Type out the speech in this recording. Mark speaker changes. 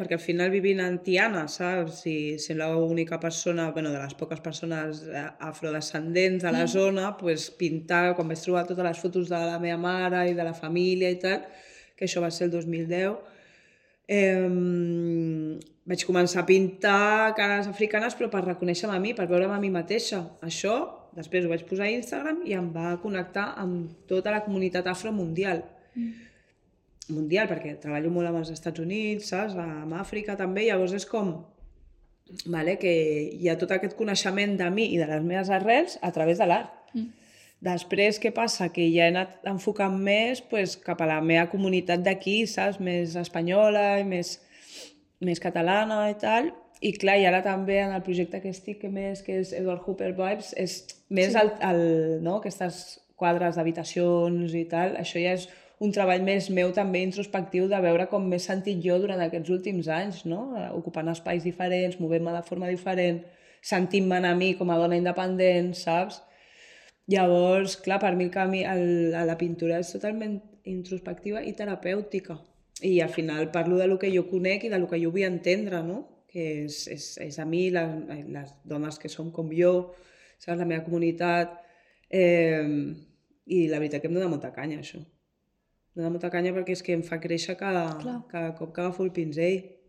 Speaker 1: perquè al final vivint en Tiana, saps? I sent l'única persona, bueno, de les poques persones afrodescendents de la zona, pues, pintar, quan vaig trobar totes les fotos de la meva mare i de la família i tal, que això va ser el 2010, vaig començar a pintar cares africanes però per reconèixer-me a mi, per veure'm a mi mateixa. Això, després ho vaig posar a Instagram i em va connectar amb tota la comunitat afro mundial. Mundial, perquè treballo molt amb els Estats Units, saps? Amb Àfrica també, llavors és com vale, que hi ha tot aquest coneixement de mi i de les meves arrels a través de l'art. Després, què passa? Que ja he anat enfocant més pues, cap a la meva comunitat d'aquí, saps? Més espanyola i més catalana i tal. I clar, i ara també en el projecte que estic més, que és Edward Hooper Vibes, és més no? Aquestes quadres d'habitacions i tal, això ja és un treball més meu també introspectiu de veure com m'he sentit jo durant aquests últims anys, no? Ocupant espais diferents, movent-me de forma diferent, sentint-me'n a mi com a dona independent, saps? Llavors, clar, per mi el camí a la pintura és totalment introspectiva i terapèutica. I al final parlo de lo que jo conec i de lo que jo vull entendre, no? Que és a mi, les dones que som com jo, saps? La meva comunitat. I la veritat que em dona molta canya, això. Em dona molta canya perquè és que em fa créixer cada cop que agafo el pinzell.